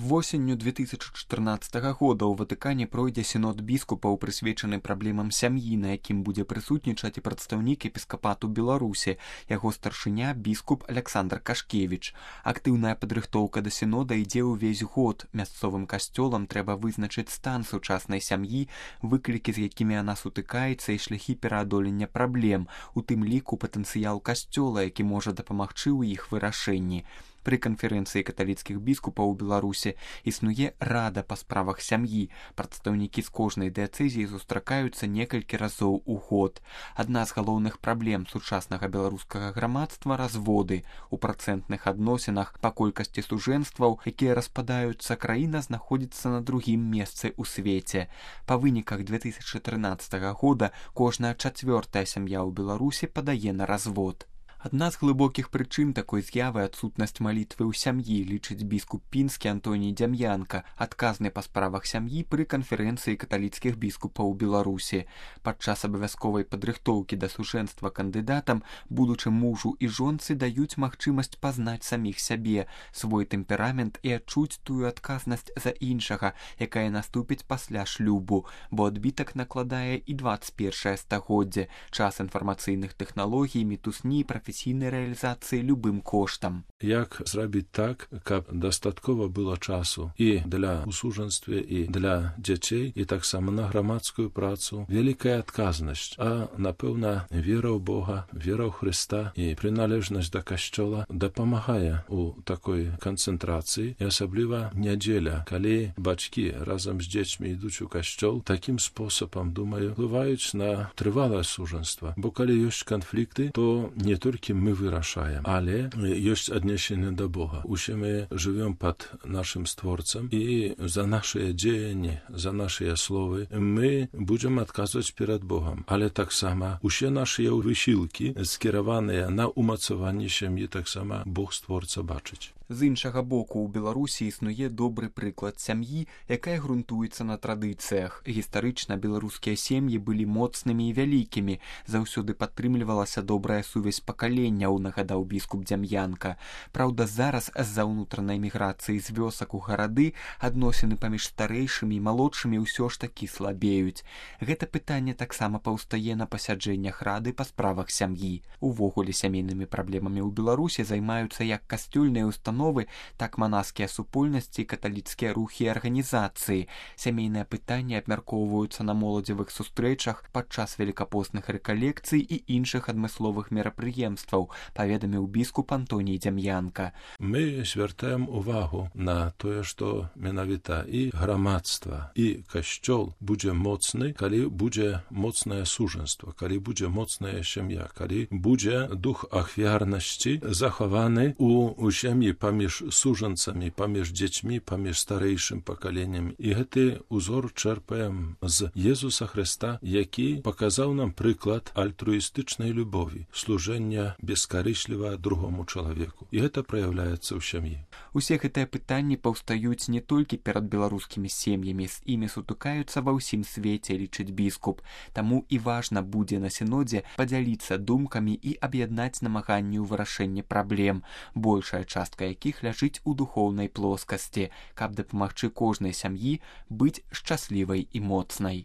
Восенню 2014 года ў Ватыкане пройдзе сінод біскупаў, прысвечаны праблемам сям'і, на якім будзе прысутнічаць і прадстаўнік епіскапату Беларусі, яго старшыня біскуп Александр Кашкевіч. Актыўная падрыхтоўка да сінода ідзе ўвесь год. Мясцовым касцёлам трэба вызначыць стан сучаснай сям'і, выклікі, з якімі яна сутыкаецца, і шляхі пераадолення праблем, у тым ліку патэнцыял касцёла, які можа дапамагчы ў іх вырашэнні. Пры канферэнцыі каталіцкіх біскупаў у Беларусі існуе рада па справах сям'і. Прадстаўнікі з кожнай дыяцэзіі сустракаюцца некалькі разоў у год. Адна з галоўных праблем сучаснага беларускага грамадства – разводы. У працэнтных адносінах па колькасці сужэнстваў, якія распадаюцца, краіна знаходзіцца на другім месцы ў свеце. Па выніках 2013 года кожная чацвёртая сям'я ў Беларусі падае на развод. Адна з глыбокіх прычын такой з'явы – адсутнасць малітвы ў сям'і, лічыць біскуп пінскі Антоній Дзям'янка, адказны па справах сям'і пры канферэнцыі каталіцкіх біскупаў у Беларусі. Падчас абавязковай падрыхтоўкі да сужэнства кандыдатам будучым мужу і жонцы даюць магчымасць пазнаць саміх сябе, свой тэмперамент і адчуць тую адказнасць за іншага, якая наступіць пасля шлюбу, бо адбітак накладае і 21 стагоддзе, час інфармацыйных тэхналогій, мітусні, прафесійнай рэалізацыі любым коштам. Як зрабіць так, каб дастаткова было часу і для усужэнстве, і для дзяцей, і таксама на грамадскую працу. Вялікая адказнасць, а, напэўна, вера ў Бога, вера ў Хрыста і прыналежнасць да касцёла дапамагае у такой канцэнтрацыі, і асабліва нядзеля, калі бацькі разам з дзецьмі ідуць у касцёл, такім спосабам, думаю, ўплываюць на трывалае сужэнства. Бо калі ёсць канфлікты, то не толькі мы вырашаем, але ёсць аднесенне да Бога. Усе мы жывём пад нашым створцам, і за нашыя дзеянні, за нашыя словы мы будзем адказваць перад Богам. Але таксама усе нашыя высілкі скіраваныя на умацаванне сям'і, таксама Бог створца бачыць. З іншага боку, у Беларусі існуе добры прыклад сям'і, якая грунтуецца на традыцыях. Гістарычна беларускія сем'і былі моцнымі і вялікімі, заўсёды падтрымлівалася добрая сувязь пакаленняў, нагадаў біскуп Дзям'янка. Праўда, зараз з-за ўнутранай міграцыі з вёсак у гарады адносіны паміж старэйшымі і малодшымі ўсё ж такі слабеюць. Гэта пытанне таксама паўстае на пасяджэннях рады па справах сям'і. Увогуле сямейнымі праблемамі ў Беларусі займаюцца як касцёльныя установы, так манаскія супольнасці, каталіцкія рухі і арганізацыі. Сямейныя пытанні абмяркоўваюцца на моладзевых сустрэчах, падчас велікапостных рэкалекцый і іншых адмысловых мерапрыемстваў, паведаміў біскуп Антоній Дзям'янка. Мы звяртаем увагу на тое, што менавіта і грамадства, і касцёл будзе моцны, калі будзе моцнае сужэнства, калі будзе моцная сям'я, калі будзе дух ахвярнасці захаваны у сям'і паміж сужанцамі, паміж дзецьмі, паміж старэйшым пакаленнем. І гэты узор чэрпаем з Езуса Хрыста, які паказаў нам прыклад альтруістычнай любові, служэння бескарысліва другому чалавеку. І гэта праяўляецца ў сям'і. Усе гэтыя пытанні паўстаюць не толькі перад беларускімі сем'ямі, з імі сутыкаюцца ва ўсім свеце, лічыць біскуп. Таму і важна будзе на сінодзе падзяліцца думкамі і аб'яднаць намаганні ў вырашэнні праблем, большая частка якіх ляжыць у духоўнай плоскасці, каб дапамагчы кожнай сям'і быць шчаслівай і моцнай.